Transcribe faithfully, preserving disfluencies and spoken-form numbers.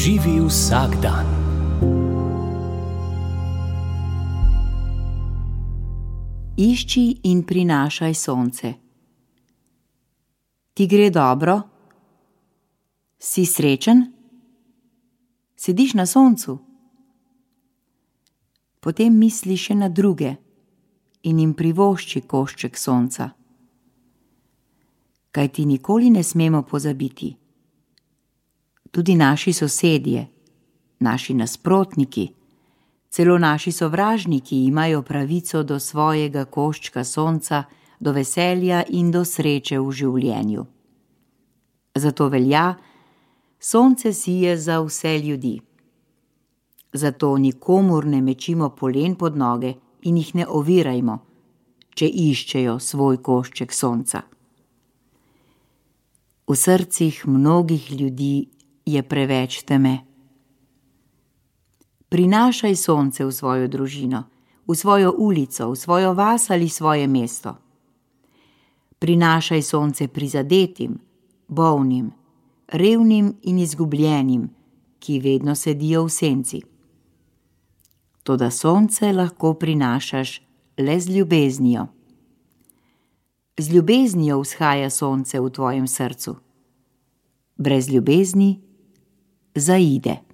Živi vsak dan. Išči in prinašaj sonce. Ti gre dobro? Si srečen? Sediš na soncu? Potem misli še na druge in jim privošči košček sonca. Kajti nikoli ne smemo pozabiti. Tudi naši sosedje, naši nasprotniki, celo naši sovražniki imajo pravico do svojega koščka sonca, do veselja in do sreče v življenju. Zato velja, sonce sije za vse ljudi. Zato nikomur ne mečimo polen pod noge in jih ne ovirajmo, če iščejo svoj košček sonca. V srcih mnogih ljudi je preveč teme. Prinašaj sonce v svojo družino, v svojo ulico, v svojo vas ali svoje mesto. Prinašaj sonce prizadetim, bolnim, revnim in izgubljenim, ki vedno sedijo v senci. Toda sonce lahko prinašaš le z ljubeznijo. Z ljubeznijo vzhaja sonce v tvojem srcu. Brez ljubezni zaide.